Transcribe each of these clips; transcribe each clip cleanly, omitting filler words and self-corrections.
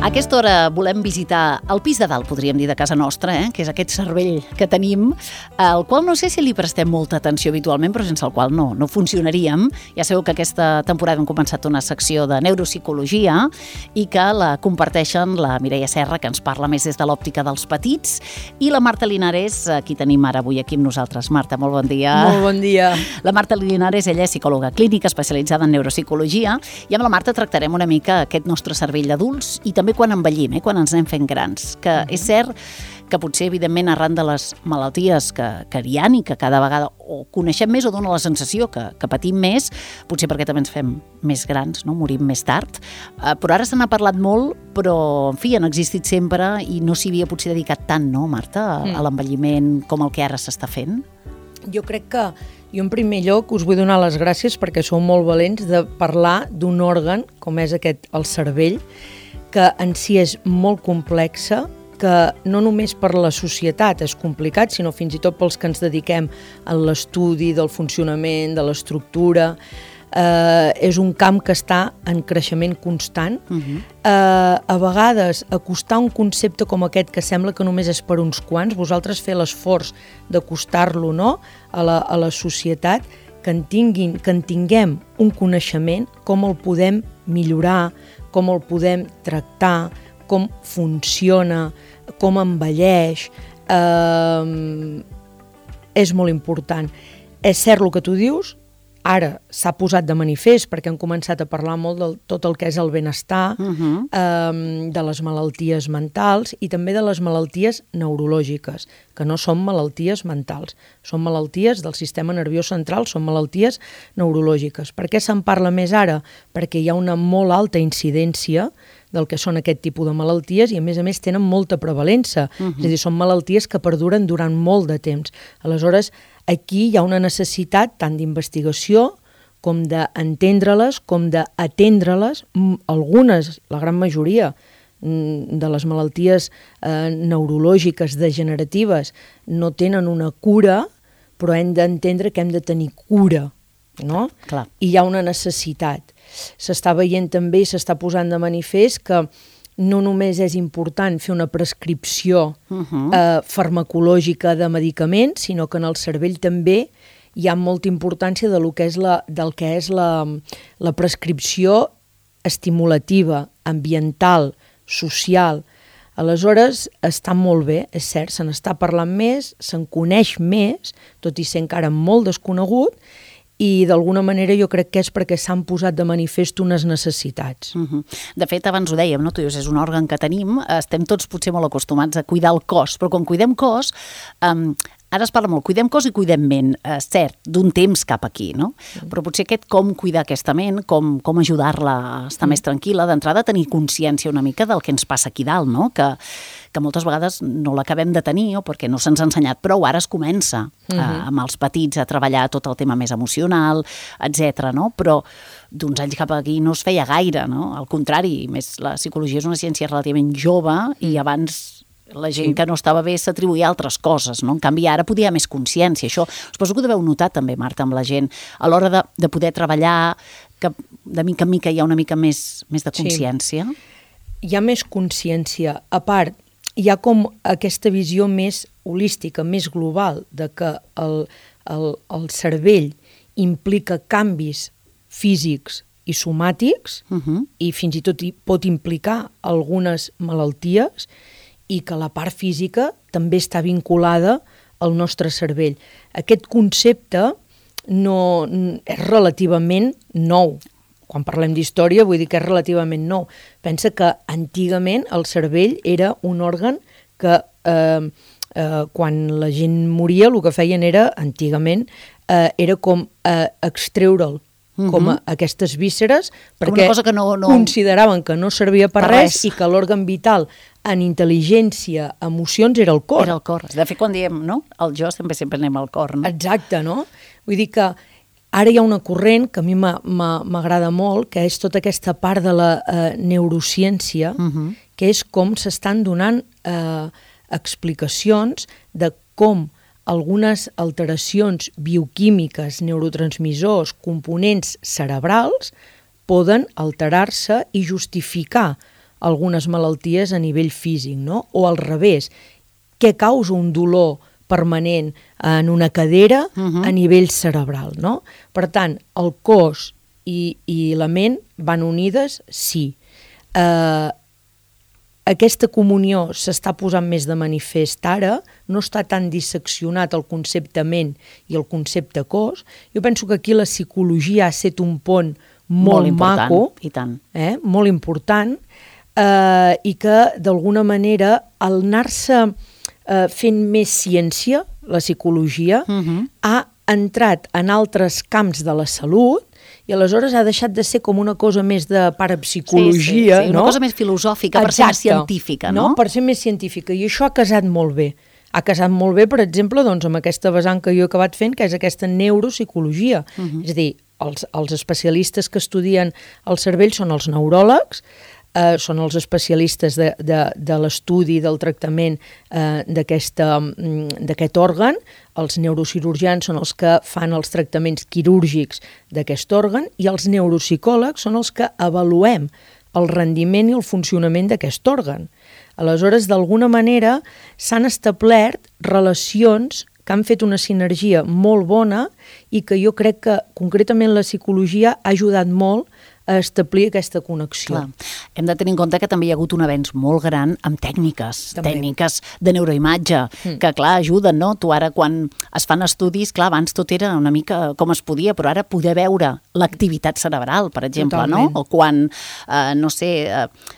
A aquesta hora volem visitar el pis de dalt, podríem dir, de casa nostra, que és aquest cervell que tenim, al qual no sé si li prestem molta atenció habitualment, però sense el qual no funcionaríem. Ja sabeu que aquesta temporada hem començat una secció de neuropsicologia i que la comparteixen la Mireia Serra, que ens parla més des de l'òptica dels petits, i la Marta Linares, qui tenim ara avui aquí amb nosaltres. Marta, molt bon dia. Molt bon dia. La Marta Linares, ella és psicòloga clínica especialitzada en neuropsicologia, i amb la Marta tractarem una mica aquest nostre cervell d'adults i també quan envellim, quan ens anem fent grans, que és cert que potser, evidentment, arran de les malalties que hi ha i que cada vegada o coneixem més o dona la sensació que patim més, potser perquè també ens fem més grans, no? Morim més tard. Però ara se n'ha parlat molt, però, en fi, han existit sempre i no s'hi havia potser dedicat tant, no, Marta, a l'envelliment com el que ara s'està fent? Jo crec que jo en primer lloc us vull donar les gràcies perquè sou molt valents de parlar d'un òrgan com és el cervell, que en si és molt complexa, que no només per la societat és complicat, sinó fins i tot pels que ens dediquem a l'estudi del funcionament, de l'estructura. És un camp que està en creixement constant. A vegades, acostar un concepte com aquest, que sembla que només és per uns quants, vosaltres fer l'esforç d'acostar-lo, no?, a la societat, que en tinguem un coneixement, com el podem millorar, com el podem tractar, com funciona, com envelleix, és molt important. És cert el que tu dius, ara s'ha posat de manifest perquè han començat a parlar molt de tot el que és el benestar, de les malalties mentals i també de les malalties neurològiques, que no són malalties mentals, són malalties del sistema nerviós central, són malalties neurològiques. Per què se'n parla més ara? Perquè hi ha una molt alta incidència del que són aquest tipus de malalties i a més tenen molta prevalença, és a dir, són malalties que perduren durant molt de temps. Aleshores, aquí hi ha una necessitat tant d'investigació com d'entendre-les, com d'atendre-les. Algunes, la gran majoria de les malalties neurològiques degeneratives no tenen una cura, però hem d'entendre que hem de tenir cura, no? Clar. I hi ha una necessitat. S'està veient també i s'està posant de manifest que no només és important fer una prescripció farmacològica de medicaments, sinó que en el cervell també hi ha molta importància del que és la prescripció estimulativa, ambiental, social. Aleshores, està molt bé, és cert, se n'està parlant més, se'n coneix més, tot i ser encara molt desconegut, i d'alguna manera jo crec que és perquè s'han posat de manifest unes necessitats. De fet, abans ho dèiem, no? Tu dius, és un òrgan que tenim, estem tots potser molt acostumats a cuidar el cos, però quan cuidem cos, ara es parla molt, cuidem cos i cuidem ment, cert, d'un temps cap aquí, no? Però potser com cuidar aquesta ment, com ajudar-la a estar més tranquil·la, d'entrada tenir consciència una mica del que ens passa aquí dalt, no? Que moltes vegades no l'acabem de tenir o perquè no se'ns ha ensenyat prou, ara es comença amb els petits a treballar tot el tema més emocional, etc. No? Però d'uns anys cap aquí no es feia gaire, no? Al contrari, més la psicologia és una ciència relativament jove i abans la gent que no estava bé s'atribuïa a altres coses, no? En canvi, ara podia haver més consciència. Això suposo que ho deveu notar també, Marta, amb la gent, a l'hora de poder treballar, que de mica en mica hi ha una mica més de consciència. Sí. Hi ha més consciència. A part, hi ha com aquesta visió més holística, més global, de que el cervell implica canvis físics i somàtics i fins i tot pot implicar algunes malalties i que la part física també està vinculada al nostre cervell. Aquest concepte és relativament nou. Quan parlem d'història vull dir que és relativament nou. Pensa que antigament el cervell era un òrgan que quan la gent moria el que feien era, antigament, era com extreure'l, com aquestes vísceres, perquè consideraven que no servia per res i que l'òrgan vital en intel·ligència, emocions, era el cor. Era el cor. De fet, quan diem, no? El jo sempre anem al cor, no? Exacte, no? Vull dir que ara hi ha una corrent que a mi m'agrada molt, que és tota aquesta part de la neurociència, que és com s'estan donant explicacions de com algunes alteracions bioquímiques, neurotransmissors, components cerebrals, poden alterar-se i justificar algunes malalties a nivell físic, no? O al revés, què causa un dolor permanent en una cadera a nivell cerebral, no? Per tant, el cos i la ment van unides, sí. Aquesta comunió s'està posant més de manifest ara, no està tan disseccionat el concepte ment i el concepte cos. Jo penso que aquí la psicologia ha estat un pont molt maco, i tant. Molt important, i que d'alguna manera al anar-se fent més ciència, la psicologia, ha entrat en altres camps de la salut i aleshores ha deixat de ser com una cosa més de parapsicologia, sí, una cosa més filosòfica, per ser més científica, no? Per ser més científica, i això ha casat molt bé. Ha casat molt bé, per exemple, doncs, amb aquesta vessant que jo he acabat fent, que és aquesta neuropsicologia. És a dir, els especialistes que estudien el cervell són els neuròlegs, són els especialistes de l'estudi del tractament d'aquest òrgan, els neurocirurgians són els que fan els tractaments quirúrgics d'aquest òrgan i els neuropsicòlegs són els que avaluem el rendiment i el funcionament d'aquest òrgan. Aleshores, d'alguna manera, s'han establert relacions que han fet una sinergia molt bona i que jo crec que concretament la psicologia ha ajudat molt a establir aquesta connexió. Clar. Hem de tenir en compte que també hi ha hagut un avenç molt gran amb tècniques de neuroimatge, que clar, ajuden, no? Tu ara quan es fan estudis, clar, abans tot era una mica com es podia, però ara poder veure l'activitat cerebral, per exemple, totalment, no? O quan, no sé,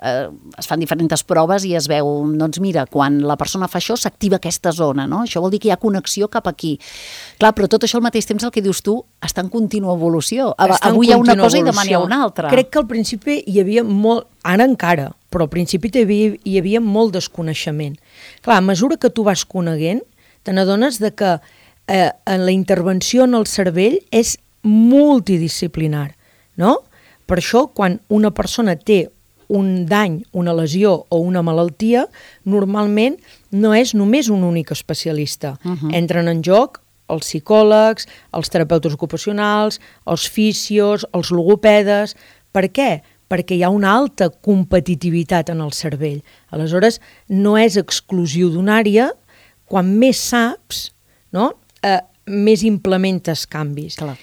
es fan diferents proves i es veu, doncs mira, quan la persona fa això s'activa aquesta zona, no? Això vol dir que hi ha connexió cap aquí. Clar, però tot això al mateix temps, el que dius tu, està en contínua evolució. Avui hi ha una cosa i demà n'hi ha una altra. Crec que al principi hi havia molt, ara encara, però al principi hi havia molt desconeixement. Clar, a mesura que tu vas coneguent, te n'adones de que la intervenció en el cervell és multidisciplinar, no? Per això, quan una persona té un dany, una lesió o una malaltia, normalment no és només un únic especialista. Entren en joc els psicòlegs, els terapeutes ocupacionals, els fisios, els logopedes. Per què? Perquè hi ha una alta competitivitat en el cervell. Aleshores, no és exclusiu d'una àrea, quan més saps, no? Més implementes canvis. Clar.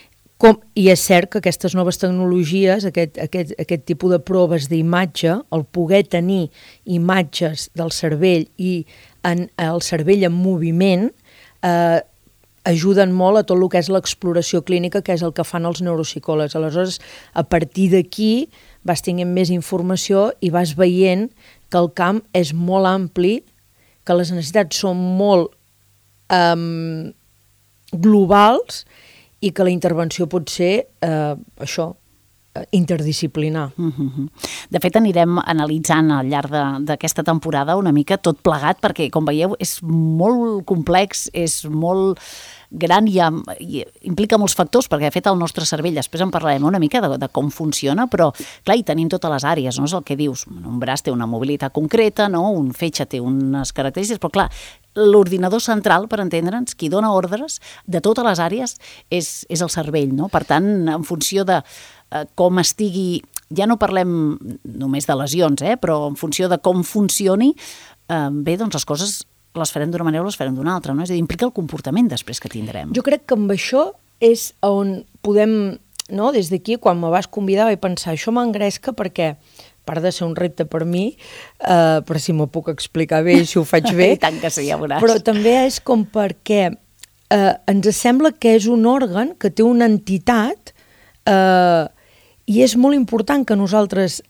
I és cert que aquestes noves tecnologies, aquest tipus de proves d'imatge, el poder tenir imatges del cervell i el cervell en moviment, ajuden molt a tot el que és l'exploració clínica, que és el que fan els neuropsicòlegs. Aleshores, a partir d'aquí vas tenint més informació i vas veient que el camp és molt ampli, que les necessitats són molt globals i que la intervenció pot ser interdisciplinar. De fet, anirem analitzant al llarg d'aquesta temporada una mica tot plegat, perquè, com veieu, és molt complex, és molt gran i implica molts factors, perquè de fet el nostre cervell, després en parlarem una mica de com funciona, però clar, hi tenim totes les àrees, no? És el que dius, un braç té una mobilitat concreta, no? Un fetge té unes característiques, però clar, l'ordinador central, per entendre'ns, qui dona ordres de totes les àrees és el cervell, no? Per tant, en funció de com estigui, ja no parlem només de lesions, però en funció de com funcioni, bé, doncs les coses les farem d'una manera o les farem d'una altra, no? És a dir, implica el comportament després que tindrem. Jo crec que amb això és on podem, no? Des d'aquí, quan me vas convidar, vaig pensar, això m'engresca perquè, a part de ser un repte per mi, però si m'ho puc explicar bé, si ho faig bé, I tant que sí, ja veuràs. Però també és com perquè ens sembla que és un òrgan que té una entitat i és molt important que nosaltres,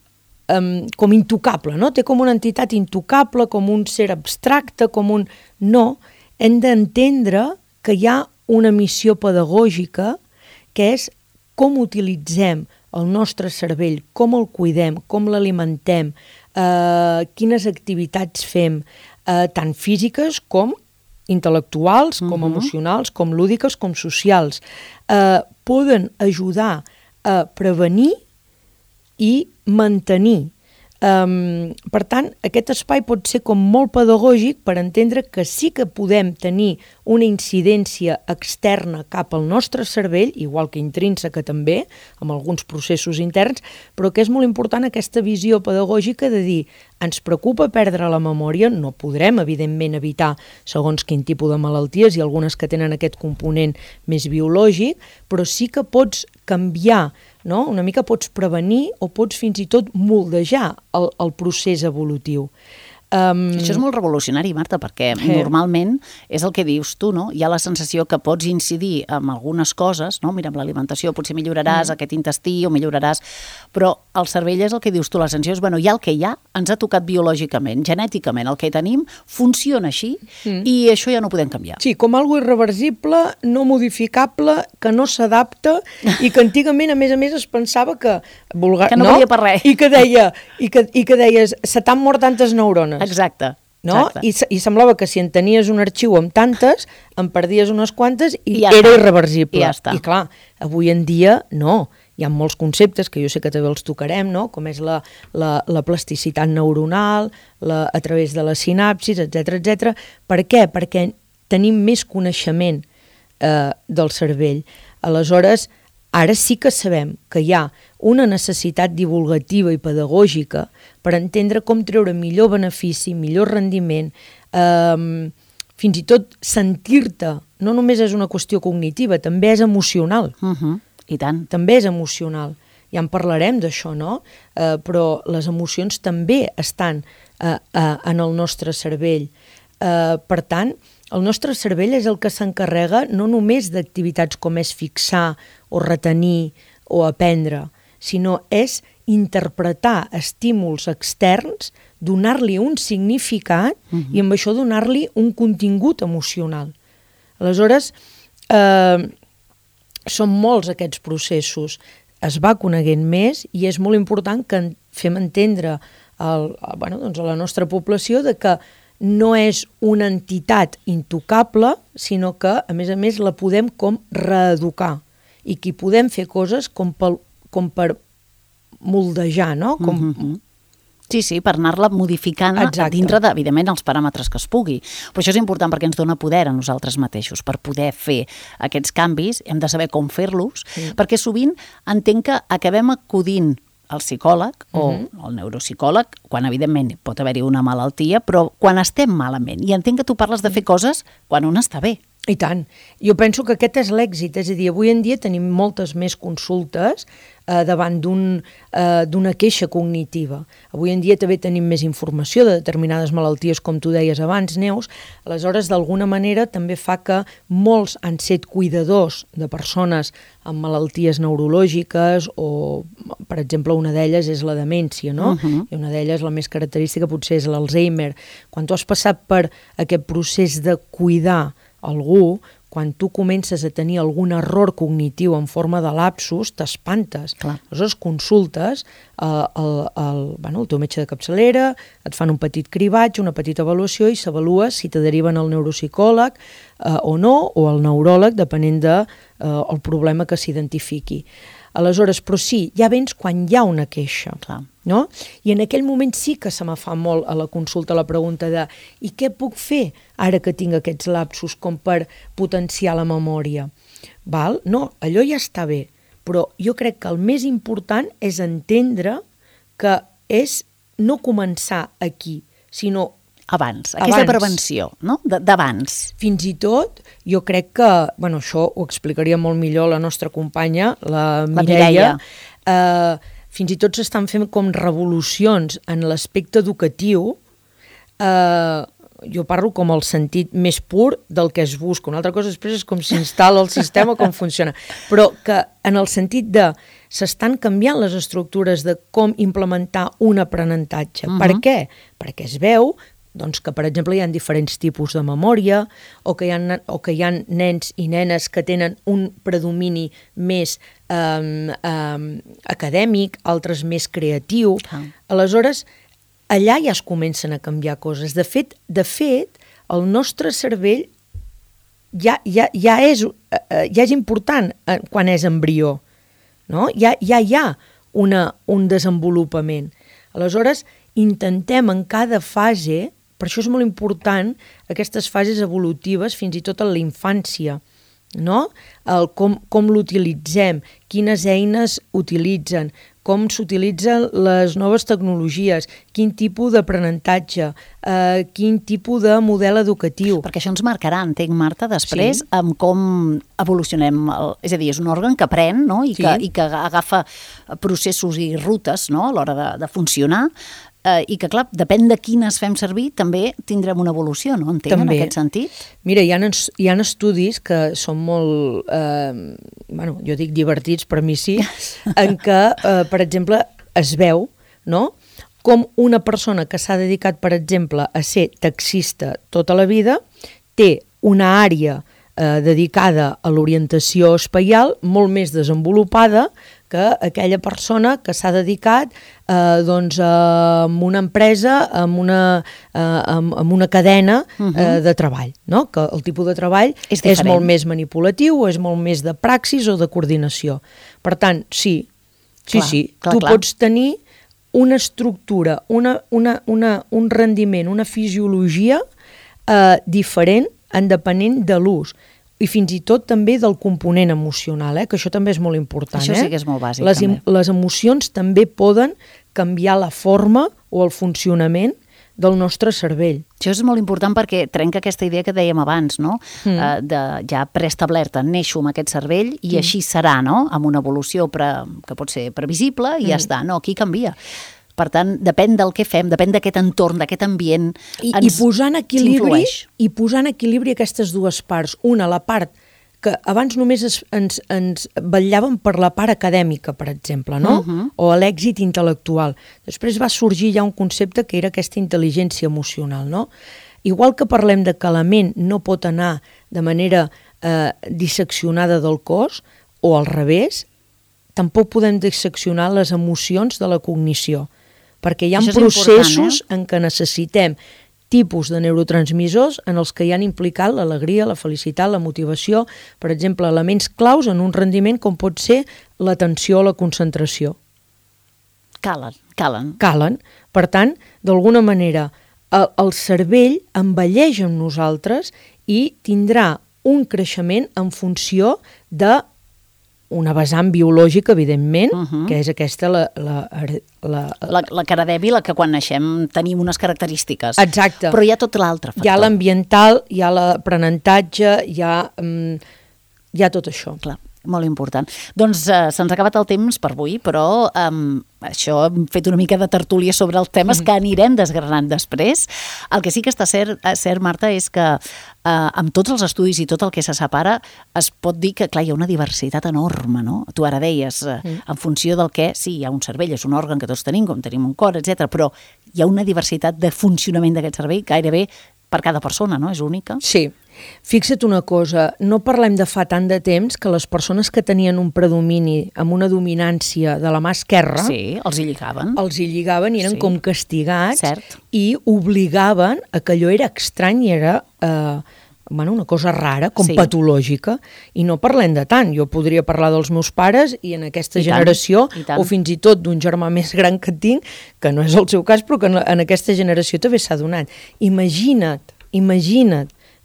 com intocable, no? Té com una entitat intocable, com un ser abstracte, com un... No, hem d'entendre que hi ha una missió pedagògica que és com utilitzem el nostre cervell, com el cuidem, com l'alimentem, quines activitats fem, tant físiques com intel·lectuals, com emocionals, com lúdiques, com socials. Poden ajudar a prevenir i mantenir Per tant, aquest espai pot ser com molt pedagògic per entendre que sí que podem tenir una incidència externa cap al nostre cervell, igual que intrínseca també, amb alguns processos interns, però que és molt important aquesta visió pedagògica de dir ens preocupa perdre la memòria, no podrem, evidentment, evitar segons quin tipus de malalties i algunes que tenen aquest component més biològic, però sí que pots canviar, no? Una mica pots prevenir o pots fins i tot moldejar el procés evolutiu. Això és molt revolucionari, Marta, perquè normalment és el que dius tu, no? Hi ha la sensació que pots incidir en algunes coses, no? Mira, amb l'alimentació potser milloraràs aquest intestí o milloraràs, però el cervell és el que dius tu, la sensació és, bueno, hi ha el que hi ha, ens ha tocat biològicament, genèticament, el que tenim funciona així i això ja no ho podem canviar. Sí, com algo irreversible, no modificable, que no s'adapta i que antigament, a més, es pensava que... que no valia per res. I que deies, se t'han mort tantes neurones. Exacte. No? Exacte. I semblava que si en tenies un arxiu amb tantes, en perdies unes quantes i ja era està. irreversible. I ja està. I clar, avui en dia no. Hi ha molts conceptes que jo sé que també els tocarem, no? Com és la plasticitat neuronal, a través de les sinapsis, etc. Per què? Perquè tenim més coneixement del cervell. Aleshores, ara sí que sabem que hi ha una necessitat divulgativa i pedagògica per entendre com treure millor benefici, millor rendiment, fins i tot sentir-te, no només és una qüestió cognitiva, també és emocional. I tant. També és emocional. Ja en parlarem d'això, no? Però les emocions també estan en el nostre cervell. Per tant, el nostre cervell és el que s'encarrega no només d'activitats com és fixar o retenir o aprendre, sinó és interpretar estímuls externs, donar-li un significat i amb això donar-li un contingut emocional. Aleshores, són molts aquests processos. Es va coneguent més i és molt important que fem entendre a la nostra població de que no és una entitat intocable, sinó que, a més, la podem com reeducar i que hi podem fer coses com per moldejar, no? Sí, per anar-la modificant dintre, evidentment, els paràmetres que es pugui. Però això és important perquè ens dona poder a nosaltres mateixos. Per poder fer aquests canvis hem de saber com fer-los, perquè sovint entenc que acabem acudint al psicòleg o al neuropsicòleg, quan evidentment pot haver-hi una malaltia, però quan estem malament. I entenc que tu parles de fer coses quan un està bé. I tant. Jo penso que aquest és l'èxit. És a dir, avui en dia tenim moltes més consultes davant d'una queixa cognitiva. Avui en dia també tenim més informació de determinades malalties, com tu deies abans, Neus. Aleshores, d'alguna manera, també fa que molts han set cuidadors de persones amb malalties neurològiques o, per exemple, una d'elles és la demència, no? I una d'elles, la més característica, potser és l'Alzheimer. Quan tu has passat per aquest procés de cuidar algú, quan tu comences a tenir algun error cognitiu en forma de lapsus, t'espantes. Aleshores consultes el teu metge de capçalera, et fan un petit cribatge, una petita avaluació i s'avalua si te deriven al neuropsicòleg o no, o al neuròleg, depenent del problema que s'identifiqui. Aleshores, però sí, ja vens quan hi ha una queixa, no? I en aquell moment sí que se me fa molt a la consulta la pregunta de i què puc fer ara que tinc aquests lapsus com per potenciar la memòria? Val? No, allò ja està bé, però jo crec que el més important és entendre que és no començar aquí, sinó abans, aquesta prevenció, no? D'abans. Fins i tot, jo crec que, això ho explicaria molt millor la nostra companya, la Mireia. Fins i tot s'estan fent com revolucions en l'aspecte educatiu, jo parlo com el sentit més pur del que es busca. Una altra cosa després és com s'instal·la el sistema, com funciona. Però que en el sentit de s'estan canviant les estructures de com implementar un aprenentatge. Per què? Perquè es veu que, per exemple, hi ha diferents tipus de memòria o que hi ha nens i nenes que tenen un predomini més acadèmic, altres més creatiu. Aleshores, allà ja es comencen a canviar coses. De fet, el nostre cervell ja és important quan és embrió, no? Ja hi ha un desenvolupament. Aleshores, intentem en cada fase, per això és molt important aquestes fases evolutives, fins i tot en la infància, no? Com l'utilitzem, quines eines utilitzen, com s'utilitzen les noves tecnologies, quin tipus d'aprenentatge, quin tipus de model educatiu. Perquè això ens marcarà, entenc, Marta, després amb com evolucionem. És a dir, és un òrgan que aprèn, no? I que agafa processos i rutes, no? A l'hora de funcionar, i que, clar, depèn de quines fem servir, també tindrem una evolució, no? Entenc, en aquest sentit? Mira, hi ha estudis que són molt, jo dic divertits, per mi sí, en què, per exemple, es veu, no?, com una persona que s'ha dedicat, per exemple, a ser taxista tota la vida, té una àrea dedicada a l'orientació espaial molt més desenvolupada que aquella persona que s'ha dedicat a una empresa, amb una cadena de treball, no? Que el tipus de treball és molt més manipulatiu, o és molt més de praxis o de coordinació. Per tant, sí, tu pots tenir una estructura, un rendiment, una fisiologia diferent en depenent de l'ús, i fins i tot també del component emocional, que això també és molt important. Això sí que és molt bàsic, també. Les emocions també poden canviar la forma o el funcionament del nostre cervell. Això és molt important perquè trenca aquesta idea que dèiem abans, no? De ja preestablerta, neixo amb aquest cervell i així serà, no? Amb una evolució que pot ser previsible i ja està. No, aquí canvia. Per tant, depèn del que fem, depèn d'aquest entorn, d'aquest ambient, I posant equilibri aquestes dues parts. Una, la part que abans només ens vetllàvem per la part acadèmica, per exemple, no? O l'èxit intel·lectual. Després va sorgir ja un concepte que era aquesta intel·ligència emocional, no? Igual que parlem de que la ment no pot anar de manera disseccionada del cos, o al revés, tampoc podem disseccionar les emocions de la cognició, perquè hi ha processos en què necessitem tipus de neurotransmissors en els que hi han implicat l'alegria, la felicitat, la motivació, per exemple, elements claus en un rendiment com pot ser l'atenció o la concentració. Calen. Per tant, d'alguna manera, el cervell envelleix amb nosaltres i tindrà un creixement en funció de una vessant biològica, evidentment, que és aquesta la cara dèbil, la que quan naixem tenim unes característiques. Exacte. Però hi ha tot l'altre factor. Hi ha l'ambiental, hi ha l'aprenentatge, hi ha tot això. Clar, molt important. Doncs se'ns ha acabat el temps per avui, però això hem fet una mica de tertúlia sobre els temes que anirem desgranant després. El que sí que està cert, Marta, és que amb tots els estudis i tot el que se separa, es pot dir que, clar, hi ha una diversitat enorme, no? Tu ara deies, en funció del que, sí, hi ha un cervell, és un òrgan que tots tenim, com tenim un cor, etc. Però hi ha una diversitat de funcionament d'aquest cervell gairebé per cada persona, no? És única. Sí. Fixa't una cosa, no parlem de fa tant de temps que les persones que tenien un predomini amb una dominància de la mà esquerra... Sí, els hi lligaven. I eren com castigats i obligaven a que allò era estrany i era una cosa rara, com patològica, i no parlem de tant. Jo podria parlar dels meus pares i en aquesta generació, o fins i tot d'un germà més gran que tinc, que no és el seu cas, però que en aquesta generació també s'ha donat. Imagina't,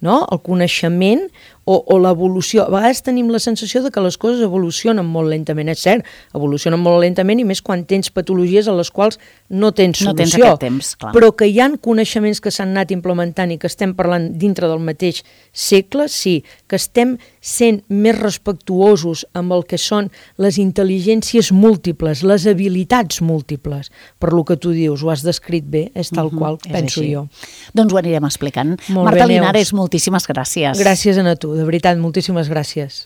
no? El coneixement o l'evolució. A vegades tenim la sensació de que les coses evolucionen molt lentament. És cert, evolucionen molt lentament i més quan tens patologies a les quals no tens solució. No tens aquest temps, clar. Però que hi ha coneixements que s'han anat implementant i que estem parlant dintre del mateix segle, sí. Que estem sent més respectuosos amb el que són les intel·ligències múltiples, les habilitats múltiples. Per lo que tu dius, ho has descrit bé, és tal qual, penso jo. Doncs ho anirem explicant. Marta Linares, moltíssimes gràcies. Gràcies a tu, de veritat, moltíssimes gràcies.